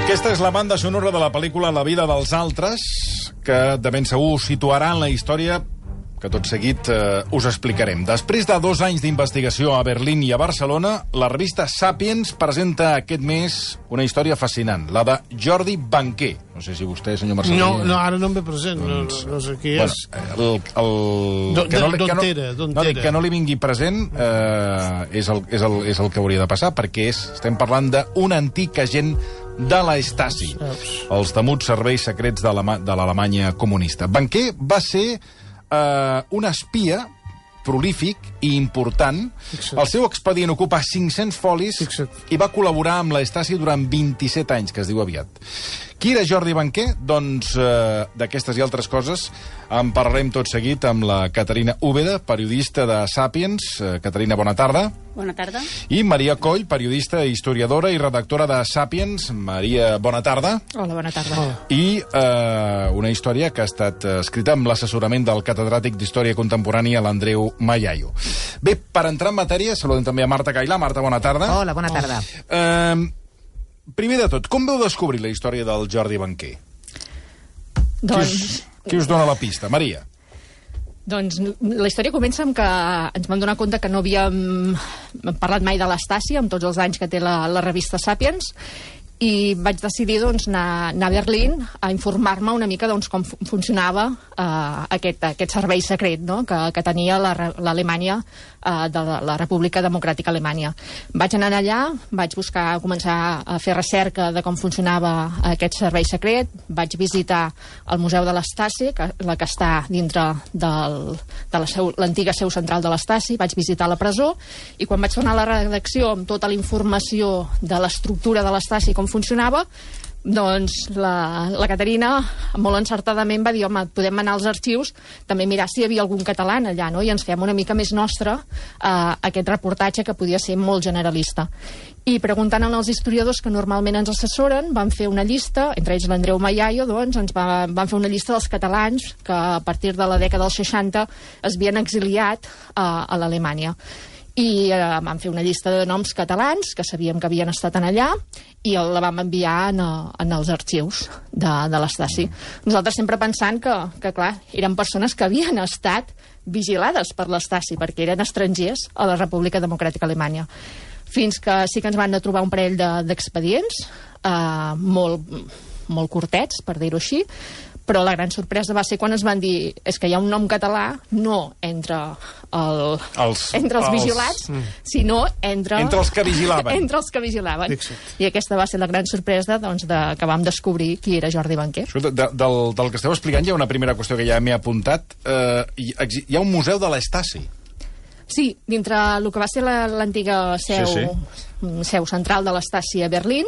Aquesta és la banda sonora de la pel·lícula La vida dels altres, que de ben segur situarà en la història que tot seguit us explicarem. Després de 2 anys d'investigació a Berlín i a Barcelona, la revista Sapiens presenta aquest mes una història fascinant, la de Jordi Banquer. No sé si vostè, senyor Marcelí... No, ara no em ve present, no sé qui és. Que no li vingui present és el que hauria de passar, perquè estem parlant d'un antic agent de la Stasi, els temuts serveis secrets de l'Alemanya comunista. Banquer va ser un espia prolífic i important. El seu expedient ocupa 500 folis i va col·laborar amb la Stasi durant 27 anys, que es diu aviat. Qui era Jordi Banquer? Doncs d'aquestes i altres coses en parlarem tot seguit amb la Caterina Úbeda, periodista de Sapiens. Caterina, bona tarda. Bona tarda. I Maria Coll, periodista, historiadora i redactora de Sapiens. Maria, bona tarda. Hola, bona tarda. Hola. I una història que ha estat escrita amb l'assessorament del catedràtic d'Història Contemporània, l'Andreu Mayayo. Bé, per entrar en matèria, saludem també a Marta Cailà. Marta, bona tarda. Hola, bona tarda. Primer de tot, com veu descobrir la història del Jordi Banquer? Doncs... Qui us dona la pista? Maria? Doncs la història comença amb que ens vam donar compte que no havíem parlat mai de l'Stasi amb tots els anys que té la revista Sapiens, i vaig decidir anar a Berlín a informar-me una mica com funcionava aquest servei secret, no? que tenia l'Alemanya, de la República Democràtica Alemanya. Vaig anar allà, vaig començar a fer recerca de com funcionava aquest servei secret, vaig visitar el Museu de l'Stasi, la que està dintre de l'antiga seu central de l'Stasi, vaig visitar la presó, i quan vaig tornar a la redacció amb tota la informació de l'estructura de l'Stasi, com funcionava, doncs la Caterina molt encertadament va dir: home, podem anar als arxius, també mirar si hi havia algun català allà, no? I ens fem una mica més nostre aquest reportatge, que podia ser molt generalista. I preguntant als historiadors que normalment ens assessoren, van fer una llista, entre ells l'Andreu Mayayo, doncs ens van fer una llista dels catalans que a partir de la dècada dels 60 es havien exiliat a l'Alemanya. I vam fer una llista de noms catalans que sabíem que havien estat allà, i la vam enviar en els arxius de l'Stasi. Nosaltres sempre pensant que clar, eren persones que havien estat vigilades per l'Stasi, perquè eren estrangers a la República Democràtica Alemanya. Fins que sí que ens van trobar un parell d'expedients, molt curtets, per dir-ho així, però la gran sorpresa va ser quan ens van dir: és que hi ha un nom català no entre els vigilats, sinó entre els que vigilaven. Entre els que vigilaven. I aquesta va ser la gran sorpresa que vam descobrir qui era Jordi Banquer. Del que esteu explicant hi ha una primera qüestió que ja m'he apuntat. Hi ha un museu de l'Stasi. Sí, dintre el que va ser l'antiga seu central de l'Stasi a Berlín,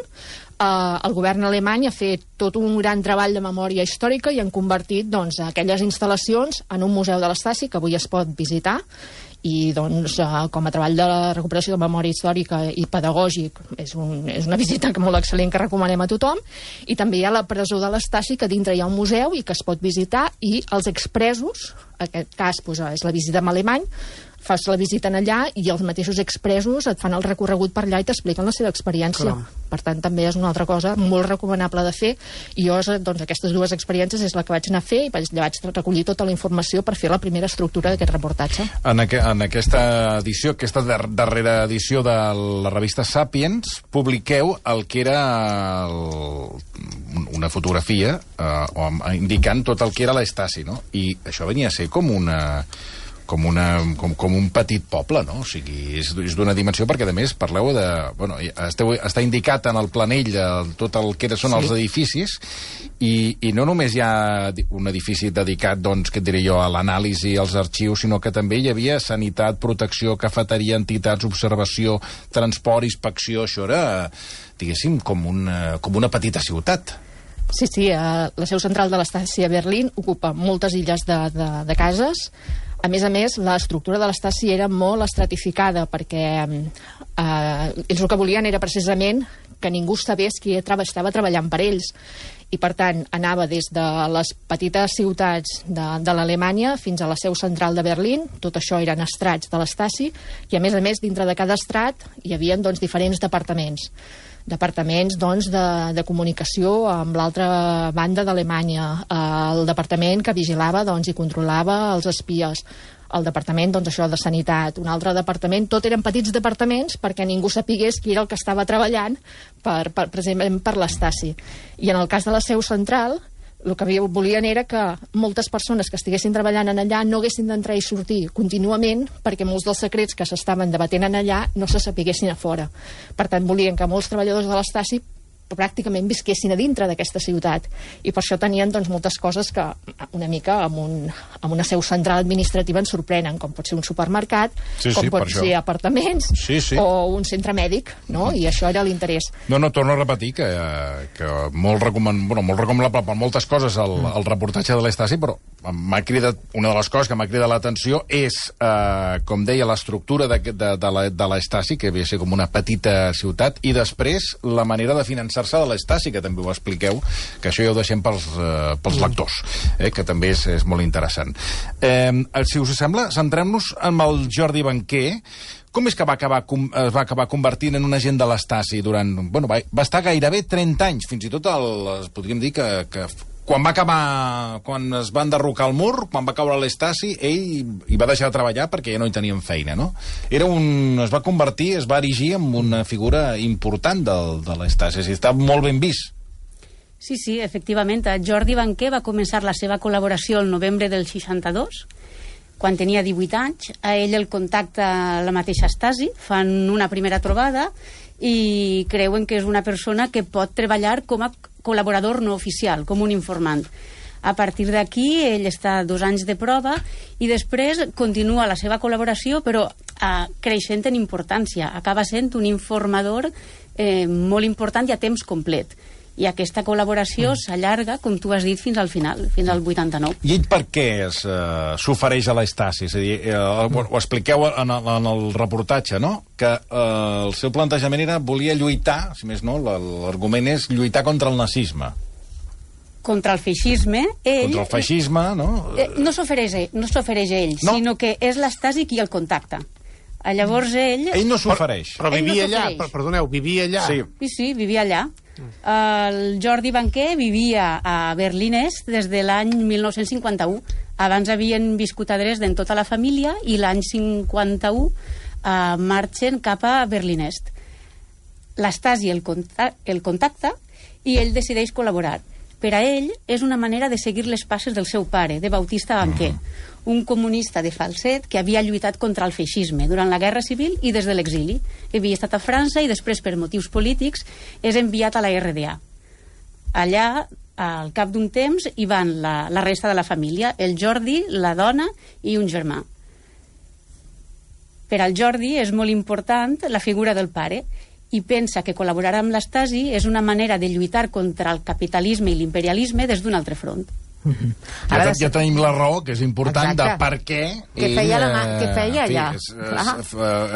el govern alemany ha fet tot un gran treball de memòria històrica i han convertit aquelles instal·lacions en un museu de l'Stasi que avui es pot visitar, i com a treball de recuperació de memòria històrica i pedagògic és una visita molt excel·lent que recomanem a tothom. I també hi ha la presó de l'Stasi, que dintre hi ha un museu i que es pot visitar, i els expresos, en aquest cas és la visita en alemany, fas la visita allà i els mateixos expresos et fan el recorregut per allà i t'expliquen la seva experiència. Per tant, també és una altra cosa molt recomanable de fer, i jo, aquestes 2 experiències és la que vaig anar a fer, i vaig recollir tota la informació per fer la primera estructura d'aquest reportatge. En aquesta edició, aquesta darrera edició de la revista Sapiens, publiqueu el que era una fotografia indicant tot el que era l'Stasi, no? I això venia a ser com un petit poble, no? O sigui, és d'una dimensió, perquè a més parleu de... està indicat en el planell tot el que són els edificis, i no només hi ha un edifici dedicat, què et diré jo, a l'anàlisi, als arxius, sinó que també hi havia sanitat, protecció, cafeteria, entitats, observació, transport, inspecció. Això era, diguéssim, com una petita ciutat. Sí, la seu central de l'Stasi a Berlín ocupa moltes illes de cases. A més, l'estructura de l'Stasi era molt estratificada, perquè ells el que volien era precisament que ningú sabés qui estava treballant per ells. i per tant anava des de les petites ciutats de l'Alemanya fins a la seu central de Berlín. Tot això eren estrats de l'Stasi, i a més, dintre de cada estrat hi havia doncs, diferents departaments doncs, de comunicació amb l'altra banda d'Alemanya, el departament que vigilava doncs, i controlava els espies, el departament doncs, això de sanitat, un altre departament. Tot eren petits departaments perquè ningú sapigués qui era el que estava treballant precisament per l'Stasi. I en el cas de la seu central, el que volien era que moltes persones que estiguessin treballant en allà no haguessin d'entrar i sortir contínuament, perquè molts dels secrets que s'estaven debatent en allà no se sapiguessin a fora. Per tant, volien que molts treballadors de l'Stasi pràcticament visquessin a dintre d'aquesta ciutat, i per això tenien doncs, moltes coses que una mica amb una seu central administrativa ens sorprenen, com pot ser un supermercat, com pot ser apartaments o un centre mèdic, no? I això era l'interès. No, torno a repetir que molt recomanable per moltes coses el reportatge de l'Stasi, però m'ha cridat, una de les coses que m'ha cridat l'atenció és, com deia, l'estructura de l'Stasi, que havia de ser com una petita ciutat, i després la manera de finançar de l'Stasi, que també ho expliqueu, que això ja ho deixem pels lectors, que també és molt interessant. Si us sembla, centrem-nos en el Jordi Banquer. Com és que es va acabar convertint en un agent de l'Stasi durant... Bueno, va estar gairebé 30 anys, fins i tot podríem dir que quan es va enderrocar el mur, quan va caure l'Stasi, ell hi va deixar de treballar perquè ja no hi tenien feina, no? Es va convertir, es va erigir en una figura important de l'Stasi, està molt ben vist. Sí, efectivament. Jordi Banquer va començar la seva col·laboració el novembre del 62, quan tenia 18 anys. A ell el contacta la mateixa Stasi, fan una primera trobada i creuen que és una persona que pot treballar com a col·laborador no oficial, com un informant. A partir d'aquí, ell està 2 anys de prova i després continua la seva col·laboració, però creixent en importància. Acaba sent un informador molt important i a temps complet. I aquesta col·laboració s'allarga, com tu has dit, fins al final, fins al 89. I ell per què s'ofereix a l'Stasi? És a dir, ho expliqueu en el reportatge, no? Que el seu plantejament era volia lluitar, si més no, l'argument és lluitar contra el nazisme. Contra el feixisme, ell... Contra el feixisme, no? No s'ofereix ell, no? Sinó que és l'Stasi qui el contacta. Llavors ell... Ell no s'ofereix. Però vivia allà, perdoneu, vivia allà. Sí, vivia allà. El Jordi Banquer vivia a Berlín Est des de l'any 1951. Abans havien viscut a Dresden tota la família i l'any 51 marxen cap a Berlín Est. L'Stasi el contacta i ell decideix col·laborar. Per a ell és una manera de seguir les passes del seu pare, de Bautista Banquer, un comunista de falset que havia lluitat contra el feixisme durant la Guerra Civil i des de l'exili. Havia estat a França i després, per motius polítics, és enviat a la RDA. Allà, al cap d'un temps, hi van la resta de la família, el Jordi, la dona i un germà. Per al Jordi és molt important la figura del pare i pensa que col·laborar amb l'Stasi és una manera de lluitar contra el capitalisme i l'imperialisme des d'un altre front. Ja tenim la raó, que és important, de per què ell allà.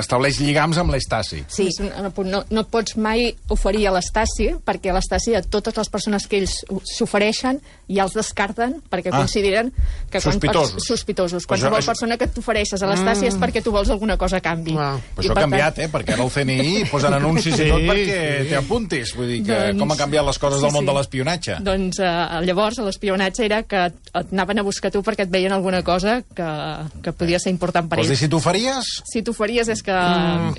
Estableix lligams amb l'Stasi. Sí, no pots mai oferir a l'Stasi, perquè a l'Stasi totes les persones que ells s'ofereixen ja els descarten perquè consideren que sospitosos. Qualsevol persona que t'ofereixes a l'Stasi és perquè tu vols alguna cosa a canvi. Això ha canviat, perquè ara el CNI posen anuncis i tot perquè t'hi apuntis. Vull dir que com han canviat les coses del món de l'espionatge. Doncs llavors l'espionatge era que et anaven a buscar tu perquè et veien alguna cosa que podia ser important per ells. Vols dir, si t'oferies? Si t'oferies és que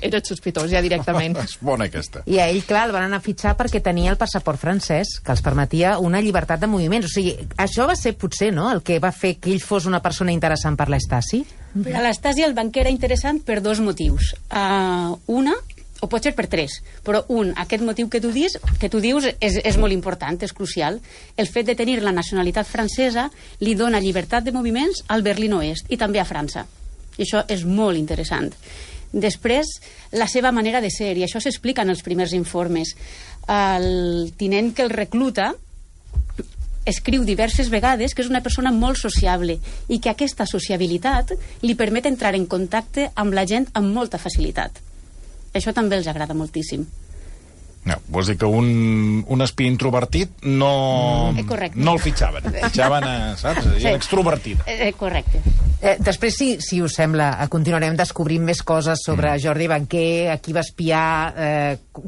eres sospitós, ja directament. És bona aquesta. I a ell, clar, el van anar a fitxar perquè tenia el passaport francès, que els permetia una llibertat de moviments. O sigui, això va ser potser, no?, el que va fer que ell fos una persona interessant per l'Stasi? Per a l'Stasi el Banquer era interessant per 2 motius. Una, o pot ser per 3, però aquest motiu que tu dius és molt important, és crucial. El fet de tenir la nacionalitat francesa li dona llibertat de moviments al Berlín Oest i també a França. I això és molt interessant. Després, la seva manera de ser, i això s'explica en els primers informes. El tinent que el recluta escriu diverses vegades que és una persona molt sociable i que aquesta sociabilitat li permet entrar en contacte amb la gent amb molta facilitat. Això també els agrada moltíssim. No, vols dir que un espí introvertit no el fitxaven. Fitxaven, saps? Sí. Extrovertit. Correcte. Després, si us sembla, continuarem descobrint més coses sobre Jordi Banquer, a qui va espiar,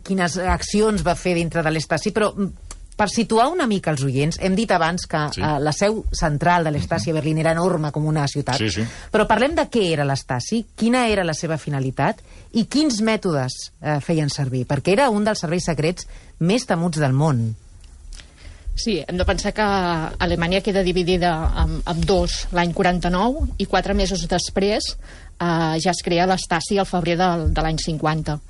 quines accions va fer dintre de l'Estasi, però per situar una mica els oients, hem dit abans que la seu central de l'Estasi a Berlín era enorme com una ciutat, però parlem de què era l'Estasi, quina era la seva finalitat i quins mètodes feien servir, perquè era un dels serveis secrets més temuts del món. Sí, hem de pensar que Alemanya queda dividida en dos l'any 49 i 4 mesos després ja es crea l'Estasi al febrer de l'any 50.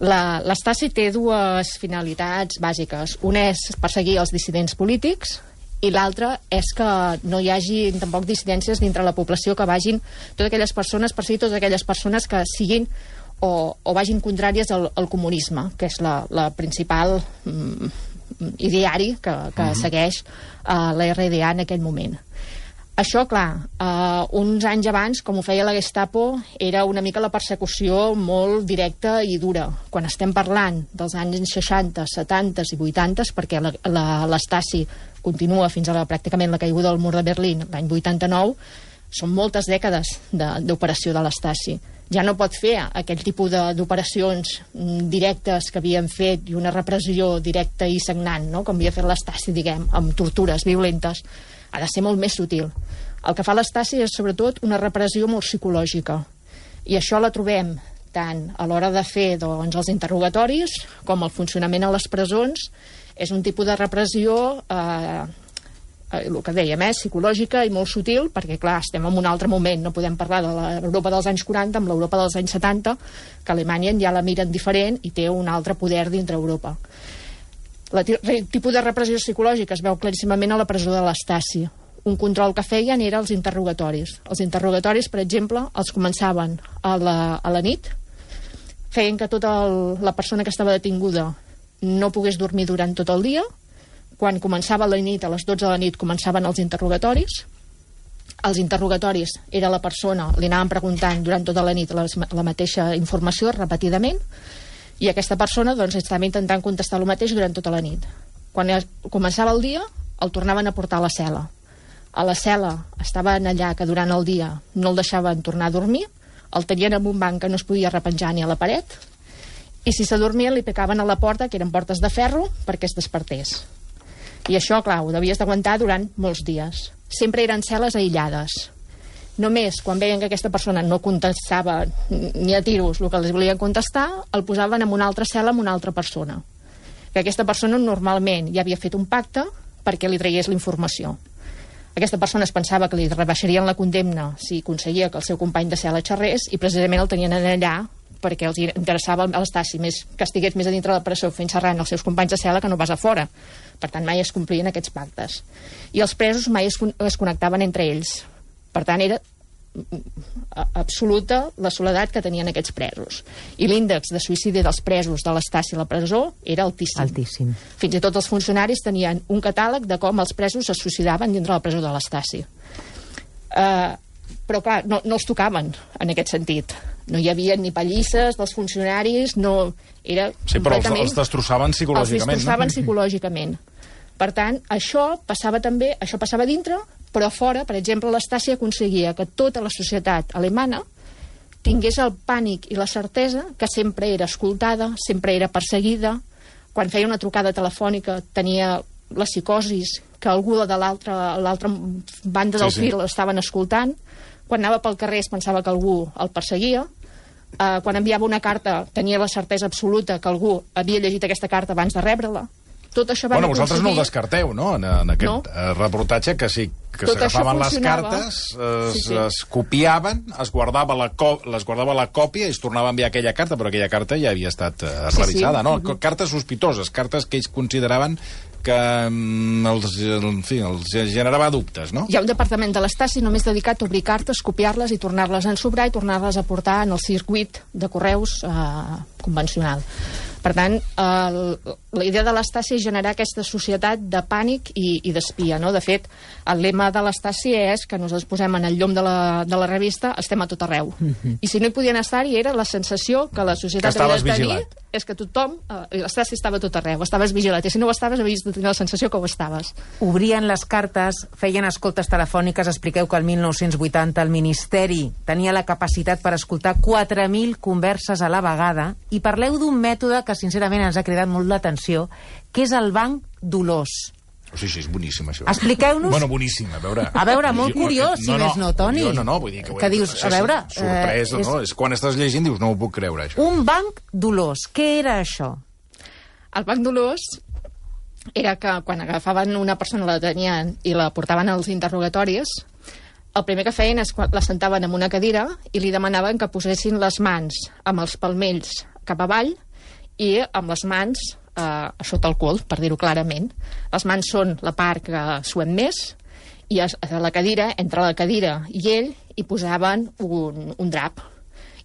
L'Estasi té dues finalitats bàsiques. Una és perseguir els dissidents polítics i l'altra és que no hi hagi tampoc dissidències dintre la població, que vagin totes aquelles persones, perseguir totes aquelles persones que siguin o vagin contràries al comunisme, que és la principal ideari que segueix la RDA en aquell moment. Això, clar, uns anys abans, com ho feia la Gestapo, era una mica la persecució molt directa i dura. Quan estem parlant dels anys 60, 70 i 80, perquè l'Estasi continua fins a pràcticament la caiguda del mur de Berlín l'any 89, són moltes dècades d'operació de l'Estasi. Ja no pot fer aquell tipus d'operacions directes que havien fet i una repressió directa i sagnant, no? Com havia fet l'Estasi, diguem, amb tortures violentes. Ha de ser molt més sutil. El que fa l'Estasi és, sobretot, una repressió molt psicològica. I això la trobem tant a l'hora de fer els interrogatoris com el funcionament a les presons. És un tipus de repressió, el que dèiem, psicològica i molt sutil, perquè, clar, estem en un altre moment. No podem parlar de l'Europa dels anys 40 amb l'Europa dels anys 70, que Alemanya ja la miren diferent i té un altre poder dintre Europa. El tipus de repressió psicològica es veu claríssimament a la presó de l'Estasi. Un control que feien era els interrogatoris. Els interrogatoris, per exemple, els començaven a la nit, feien que tota la persona que estava detinguda no pogués dormir durant tot el dia. Quan començava la nit, a les 12 de la nit, començaven els interrogatoris. Els interrogatoris era la persona, li anaven preguntant durant tota la nit la mateixa informació repetidament, i aquesta persona estava intentant contestar el mateix durant tota la nit. Quan començava el dia, el tornaven a portar a la cel·la. A la cel·la estaven allà que durant el dia no el deixaven tornar a dormir, el tenien en un banc que no es podia repenjar ni a la paret, i si s'adormia li picaven a la porta, que eren portes de ferro, perquè es despertés. I això, clar, ho devies d'aguantar durant molts dies. Sempre eren cel·les aïllades. Només quan veien que aquesta persona no contestava ni a tiros el que els volien contestar, el posaven en una altra cel·la amb una altra persona. Que aquesta persona normalment ja havia fet un pacte perquè li traiés la informació. Aquesta persona es pensava que li rebaixarien la condemna si aconseguia que el seu company de cel·la xerrés, i precisament el tenien allà perquè els interessava a l'Estasi que estigués més a dintre de la presó fent xerrant els seus companys de cel·la que no pas a fora. Per tant, mai es complien aquests pactes. I els presos mai es connectaven entre ells. Per tant, era absoluta la soledat que tenien aquests presos. I l'índex de suïcidi dels presos de l'Estasi a la presó era altíssim. Fins i tot els funcionaris tenien un catàleg de com els presos es suïcidaven dintre la presó de l'Estasi. Però, clar, no els tocaven en aquest sentit. No hi havia ni pallisses dels funcionaris, no... Era però els destrossaven psicològicament. Els destrossaven psicològicament. Per tant, això passava dintre, però a fora, per exemple, l'Estasi aconseguia que tota la societat alemana tingués el pànic i la certesa que sempre era escoltada, sempre era perseguida. Quan feia una trucada telefònica tenia la psicosis que algú de l'altra banda del fil l'estaven escoltant. Quan anava pel carrer es pensava que algú el perseguia. Quan enviava una carta tenia la certesa absoluta que algú havia llegit aquesta carta abans de rebre-la. Tot això van aconseguir... vosaltres no ho descarteu, no?, en aquest reportatge, que sí, que s'agafaven les cartes, es copiaven, es guardava la còpia i es tornava a enviar aquella carta, però aquella carta ja havia estat revisada, no? Cartes sospitoses, cartes que ells consideraven que els generava dubtes, no? Hi ha un departament de l'Estasi només dedicat a obrir cartes, copiar-les i tornar-les a ensobrar i tornar-les a portar en el circuit de correus convencional. Per tant, la idea de l'Estasi és generar aquesta societat de pànic i d'espia, no? De fet, el lema de l'Estasi és que nosaltres posem en el llom de la revista estem a tot arreu. I si no hi podien estar-hi era la sensació que la societat havia de tenir és que tothom, l'Estasi estava tot arreu, estaves vigilat, i si no ho estaves havies de tenir la sensació que ho estaves. Obrien les cartes, feien escoltes telefòniques, expliqueu que el 1980 el Ministeri tenia la capacitat per escoltar 4.000 converses a la vegada, i parleu d'un mètode que sincerament ens ha cridat molt l'atenció, que és el banc Dolors. Sí, és boníssim, això. Expliqueu-nos... Bueno, boníssim, a veure... A veure, molt curiós, si més no, Toni. No, vull dir que dius, a veure... Sorpresa, no? És quan estàs llegint dius, no ho puc creure, això. Un banc Dolors, què era això? El banc Dolors era que quan agafaven una persona, la detenien i la portaven als interrogatoris, el primer que feien és la sentaven en una cadira i li demanaven que posessin les mans amb els palmells cap avall i amb les mans a sota el cul, per dir-ho clarament. Les mans són la part que suem més, i a la cadira, entre la cadira i ell, hi posaven un drap.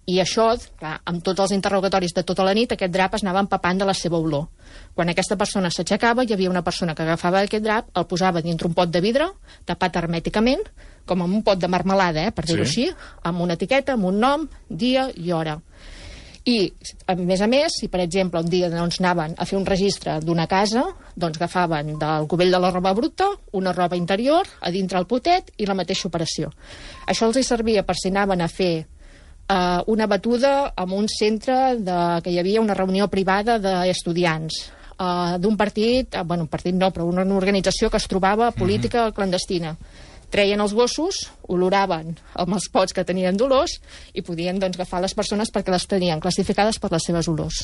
I això, clar, amb tots els interrogatoris de tota la nit, aquest drap es anava empapant de la seva olor. Quan aquesta persona s'aixecava, hi havia una persona que agafava aquest drap, el posava dintre un pot de vidre, tapat hermèticament, com amb un pot de marmelada, per dir-ho així, amb una etiqueta, amb un nom, dia i hora. I, a més, si per exemple un dia anaven a fer un registre d'una casa, doncs agafaven del cubell de la roba bruta, una roba interior, a dintre el potet i la mateixa operació. Això els servia per si anaven a fer una batuda en un centre que hi havia una reunió privada d'estudiants d'un partit, un partit no, però una organització que es trobava política clandestina. Treien els gossos, oloraven amb els pots que tenien d'olors i podien agafar les persones perquè les tenien classificades per les seves olors.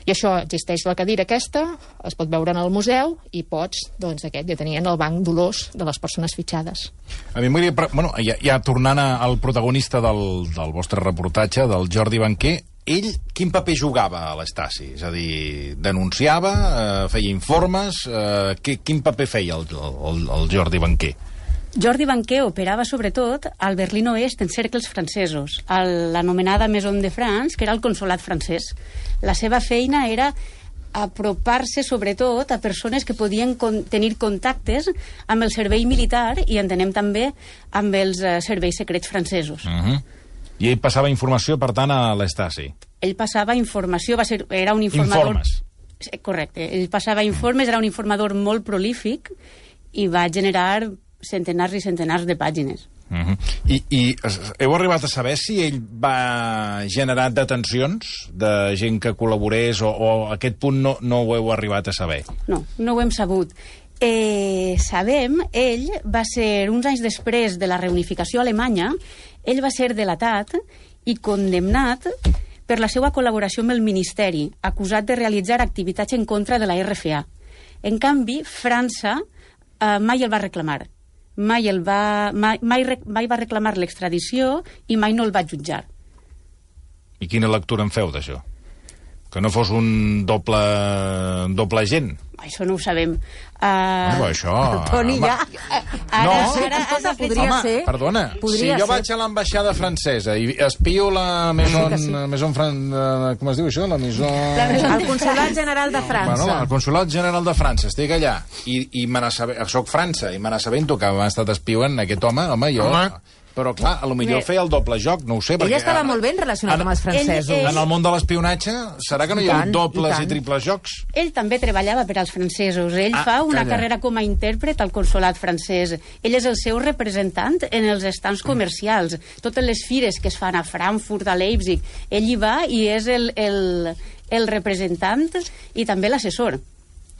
I això existeix la cadira aquesta, es pot veure en el museu i pots, ja tenien el banc d'olors de les persones fitxades. A mi m'agradaria, ja tornant al protagonista del vostre reportatge, del Jordi Banquer, ell quin paper jugava a l'Estasi? És a dir, denunciava, feia informes, quin paper feia el Jordi Banquer? Jordi Banquer operava sobretot al Berlín Oest en cercles francesos, a l'anomenada Maison de France, que era el consolat francès. La seva feina era apropar-se sobretot a persones que podien tenir contactes amb el servei militar i entenem també amb els serveis secrets francesos. I ell passava informació, per tant, a l'Estasi? Ell passava informació, era un informador... Informes. Correcte, ell passava informes, era un informador molt prolífic i va generar centenars i centenars de pàgines. I heu arribat a saber si ell va generar detencions de gent que col·laborés o a aquest punt no ho heu arribat a saber? No ho hem sabut. Sabem, ell va ser, uns anys després de la reunificació alemanya, ell va ser delatat i condemnat per la seva col·laboració amb el Ministeri, acusat de realitzar activitats en contra de la RFA. En canvi, França mai el va reclamar. Mai va reclamar l'extradició i mai no el va jutjar. I quina lectura en feu d'això? Que no fos un doble agent? Això no ho sabem. Això... Toni, ja... Ara podria ser... Perdona, si jo vaig a l'ambaixada francesa i espio la Maison... Com es diu això? La Maison... El Consolat General de França. Bueno, el Consolat General de França, estic allà i soc França i me n'assabento que m'ha estat espiant aquest home, jo... Però, clar, potser feia el doble joc, no ho sé. Ell estava molt ben relacionat amb els francesos. En el món de l'espionatge, serà que no hi ha dobles i triples jocs? Ell també treballava per als francesos. Ell fa una carrera com a intèrpret al consolat francès. Ell és el seu representant en els stands comercials. Totes les fires que es fan a Frankfurt, a Leipzig, ell hi va i és el representant i també l'assessor.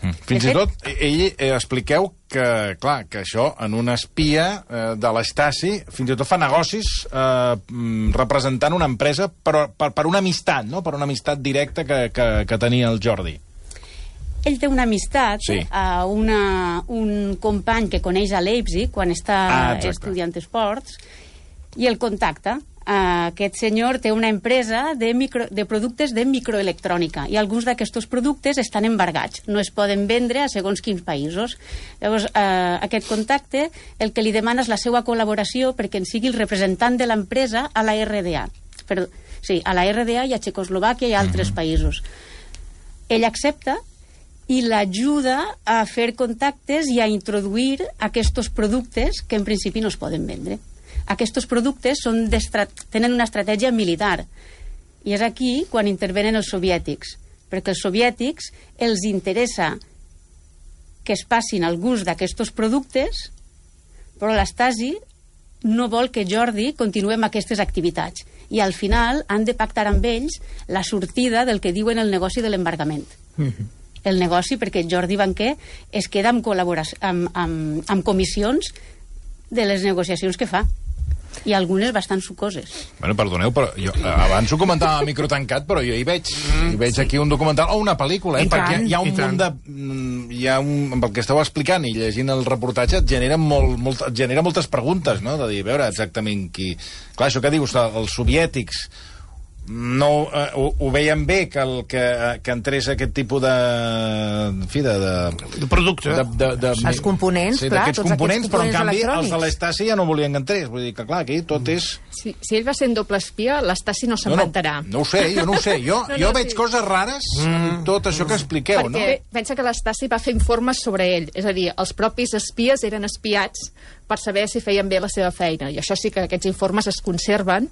Fins i tot, expliqueu que, clar, que això, en una espia de l'Estasi, fins i tot fa negocis representant una empresa per una amistat, no? Per una amistat directa que tenia el Jordi. Ell té una amistat a un company que coneix a Leipzig quan està estudiant esports i el contacta. Aquest senyor té una empresa de productes de microelectrònica i alguns d'aquests productes estan embargats, no es poden vendre a segons quins països. Llavors, aquest contacte el que li demana és la seva col·laboració perquè en sigui el representant de l'empresa a la RDA. A la RDA i a Txecoslovàquia i a altres països. Ell accepta i l'ajuda a fer contactes i a introduir aquests productes que en principi no es poden vendre. Aquests productes tenen una estratègia militar i és aquí quan intervenen els soviètics. perquè els soviètics els interessa que es passin al gust d'aquests productes, però l'Stasi no vol que Jordi continuï amb aquestes activitats. I al final han de pactar amb ells la sortida del que diuen el negoci de l'embargament. El negoci, perquè Jordi Banquer es queda amb comissions de les negociacions que fa. I algunes bastant sucoses. Bueno, perdoneu, però jo abans ho comentava a micro tancat, però jo hi veig aquí un documental o una pel·lícula, perquè hi ha un munt de... amb el que esteu explicant i llegint el reportatge et genera moltes preguntes, no? De dir, a veure exactament qui... Clar, això que dius, els soviètics no ho veien bé que entrés aquest tipus de producte. Els components, clar, tots aquests components, però en canvi els de l'Stasi ja no volien que entrés. Vull dir que, clar, aquí tot és... Si ell va ser en doble espia, l'Stasi no se'n va enterar. No ho sé, jo no ho sé. Jo veig coses rares en tot això que expliqueu, no? Perquè pensa que l'Stasi va fer informes sobre ell. És a dir, els propis espies eren espiats per saber si feien bé la seva feina. I això sí que aquests informes es conserven,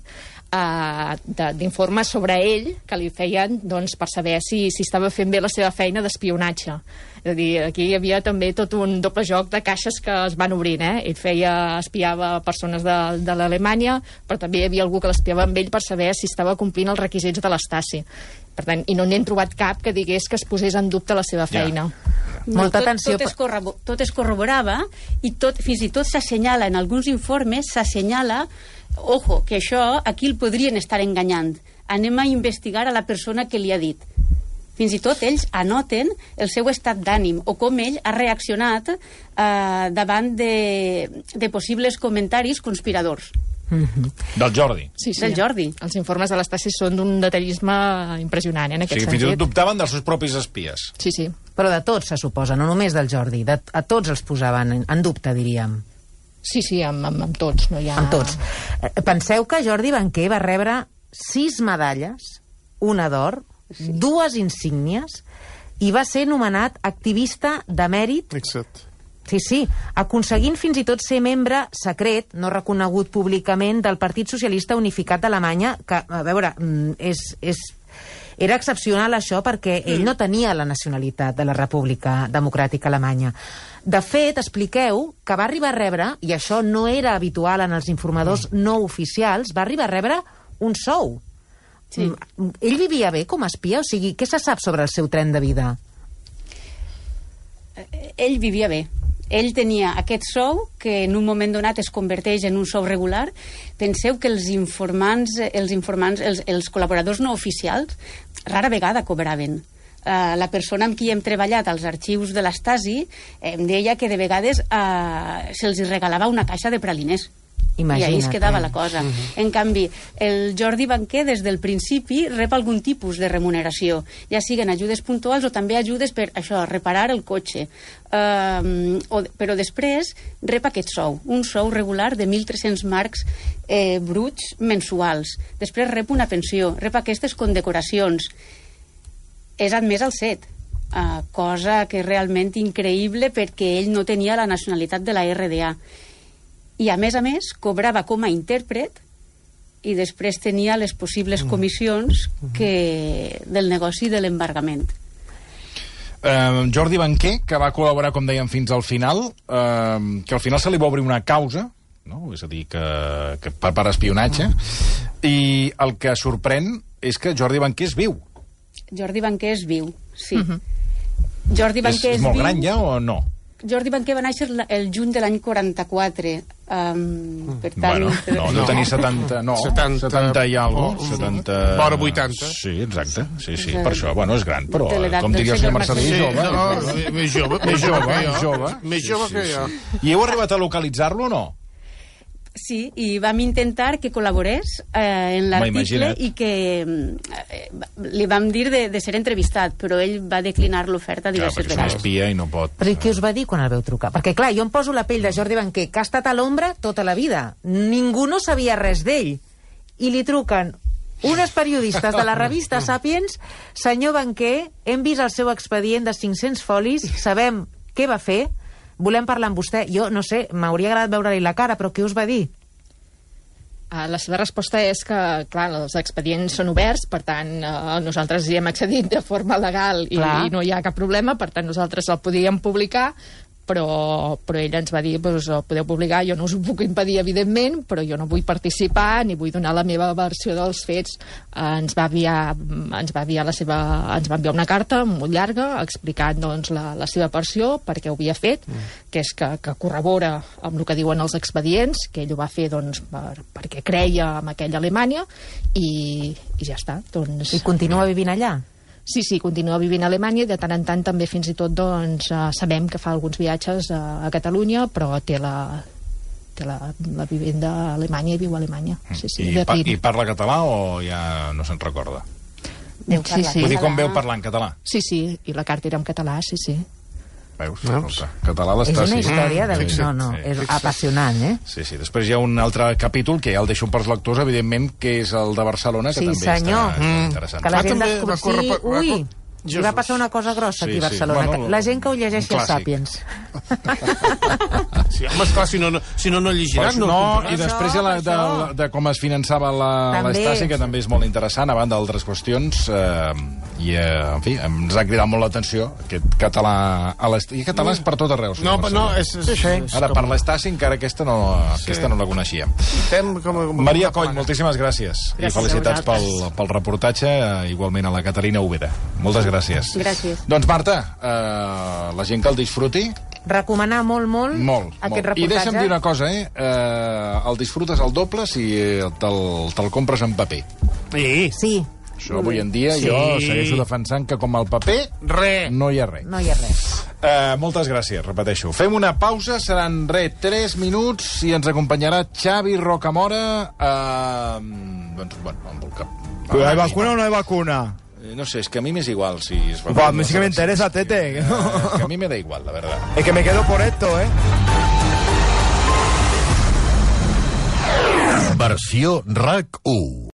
d'informes sobre ell que li feien per saber si estava fent bé la seva feina d'espionatge. És a dir, aquí hi havia també tot un doble joc de caixes que es van obrint, Ell espiava persones de l'Alemanya, però també hi havia algú que l'espiava amb ell per saber si estava complint els requisits de l'Stasi. Per tant, i no n'hem trobat cap que digués que es posés en dubte la seva feina. Molta atenció. Tot es corroborava i fins i tot s'assenyala, en alguns informes s'assenyala, ojo, que això aquí el podrien estar enganyant. Anem a investigar a la persona que li ha dit. Fins i tot ells anoten el seu estat d'ànim o com ell ha reaccionat davant de possibles comentaris conspiradors. Del Jordi. Sí, del Jordi. Els informes de l'Stasi són d'un detallisme impressionant, en aquest sentit. Fins i tot dubtaven dels seus propis espies. Sí. Però de tots, se suposa, no només del Jordi. A tots els posaven en dubte, diríem. Sí, amb tots. No hi ha... Amb tots. Penseu que Jordi Banquer va rebre 6 medalles, una d'or, 2 insígnies, i va ser nomenat activista de mèrit. Exacte. Sí, aconseguint fins i tot ser membre secret, no reconegut públicament, del Partit Socialista Unificat d'Alemanya, que, a veure, era excepcional això perquè ell no tenia la nacionalitat de la República Democràtica Alemanya. De fet, expliqueu que va arribar a rebre, i això no era habitual en els informadors no oficials, va arribar a rebre un sou. Sí. Ell vivia bé com a espia? O sigui, què se sap sobre el seu tren de vida? Ell vivia bé. Ell tenia aquest sou que en un moment donat es converteix en un sou regular. Penseu que els col·laboradors no oficials rara vegada cobraven. La persona amb qui hem treballat als arxius de l'Stasi em deia que de vegades se'ls regalava una caixa de praliners. Imagina't. I ahí es quedava la cosa. En canvi, el Jordi Banquer des del principi rep algun tipus de remuneració, ja siguen ajudes puntuals o també ajudes per això, reparar el cotxe. Però després rep aquest sou, un sou regular de 1.300 marcs bruts mensuals. Després rep una pensió, rep aquestes condecoracions. És admès al CET, cosa que és realment increïble perquè ell no tenia la nacionalitat de la RDA. I, a més, cobrava com a intèrpret i després tenia les possibles comissions del negoci de l'embargament. Jordi Banquer, que va col·laborar, com dèiem, fins al final, que al final se li va obrir una causa, no? És a dir, que per espionatge, i el que sorprèn és que Jordi Banquer és viu. Jordi Banquer és viu, sí. Jordi Banquer és molt gran ja o no? Jordi Banquer va néixer el juny de l'any 44. Per tant... Bueno, no tenia 70... No, 70 i alguna cosa. 70... Vora 80. Sí, exacte. Sí, per això. Bueno, és gran, però com diria el senyor Marcelí, jove. No, més jove. Més jove que jo. I heu arribat a localitzar-lo o no? Sí, i vam intentar que col·laborés en l'article i que li vam dir de ser entrevistat, però ell va declinar l'oferta diverses vegades. És un espia i no pot... Però i què us va dir quan el veu trucar? Perquè, clar, jo em poso la pell de Jordi Banquer, que ha estat a l'ombra tota la vida. Ningú no sabia res d'ell. I li truquen unes periodistes de la revista Sapiens: senyor Banquer, hem vist el seu expedient de 500 folis, sabem què va fer, volem parlar amb vostè. Jo, no sé, m'hauria agradat veure-li la cara, però què us va dir? La seva resposta és que, clar, els expedients són oberts, per tant, nosaltres hi hem accedit de forma legal i no hi ha cap problema, per tant, nosaltres el podíem publicar, però ella ens va dir, doncs, ho podeu publicar, jo no us ho puc impedir, evidentment, però jo no vull participar ni vull donar la meva versió dels fets. Ens va enviar una carta molt llarga explicant, doncs, la seva versió, per què ho havia fet, que és que corrobora amb el que diuen els expedients, que ell ho va fer, doncs, perquè creia en aquella Alemanya, i ja està. Doncs... I continua vivint allà? Sí, continua vivint a Alemanya i de tant en tant també fins i tot doncs, sabem que fa alguns viatges a Catalunya, però té la vivenda a Alemanya i viu a Alemanya. I parla català o ja no se'n recorda? Sí. Vull dir, com veu parlar en català? Sí, i la carta era en català, sí. Veus? Català l'està... És una història és apassionant, eh? Sí, després hi ha un altre capítol que ja el deixo per als lectors, evidentment, que és el de Barcelona, que també està interessant. Que la gent descobri... Ui, i va passar una cosa grossa aquí a Barcelona. La gent que ho llegeixi a Sàpiens. Sí, home, esclar, si no llegiran. I després de com es finançava l'Estasi, que també és molt interessant, a banda d'altres qüestions, i, en fi, ens ha cridat molt l'atenció aquest català i catalans per tot arreu. Ara, per l'Estasi, encara aquesta no la coneixia. Maria Coll, moltíssimes gràcies. I felicitats pel reportatge, igualment a la Caterina Úbeda. Moltes gràcies. Gràcies. Doncs, Marta, la gent que el disfruti... Recomanar molt aquest reportatge. I deixa'm dir una cosa, el disfrutes al doble si te'l compres en paper. Sí. Això avui en dia jo segueixo defensant que com el paper no hi ha res. No hi ha res. Moltes gràcies, repeteixo. Fem una pausa, seran 3 minuts i ens acompanyarà Xavi Rocamora. Doncs, bueno, amb el cap... ¿Pero hay vacuna o no hay vacuna? No sé, es que a mí me es igual si es vacuna. Pues a mí sí que me interesa, Tete. Que a mí me da igual, la verdad. Es que me quedo por esto, Versió RAC 1.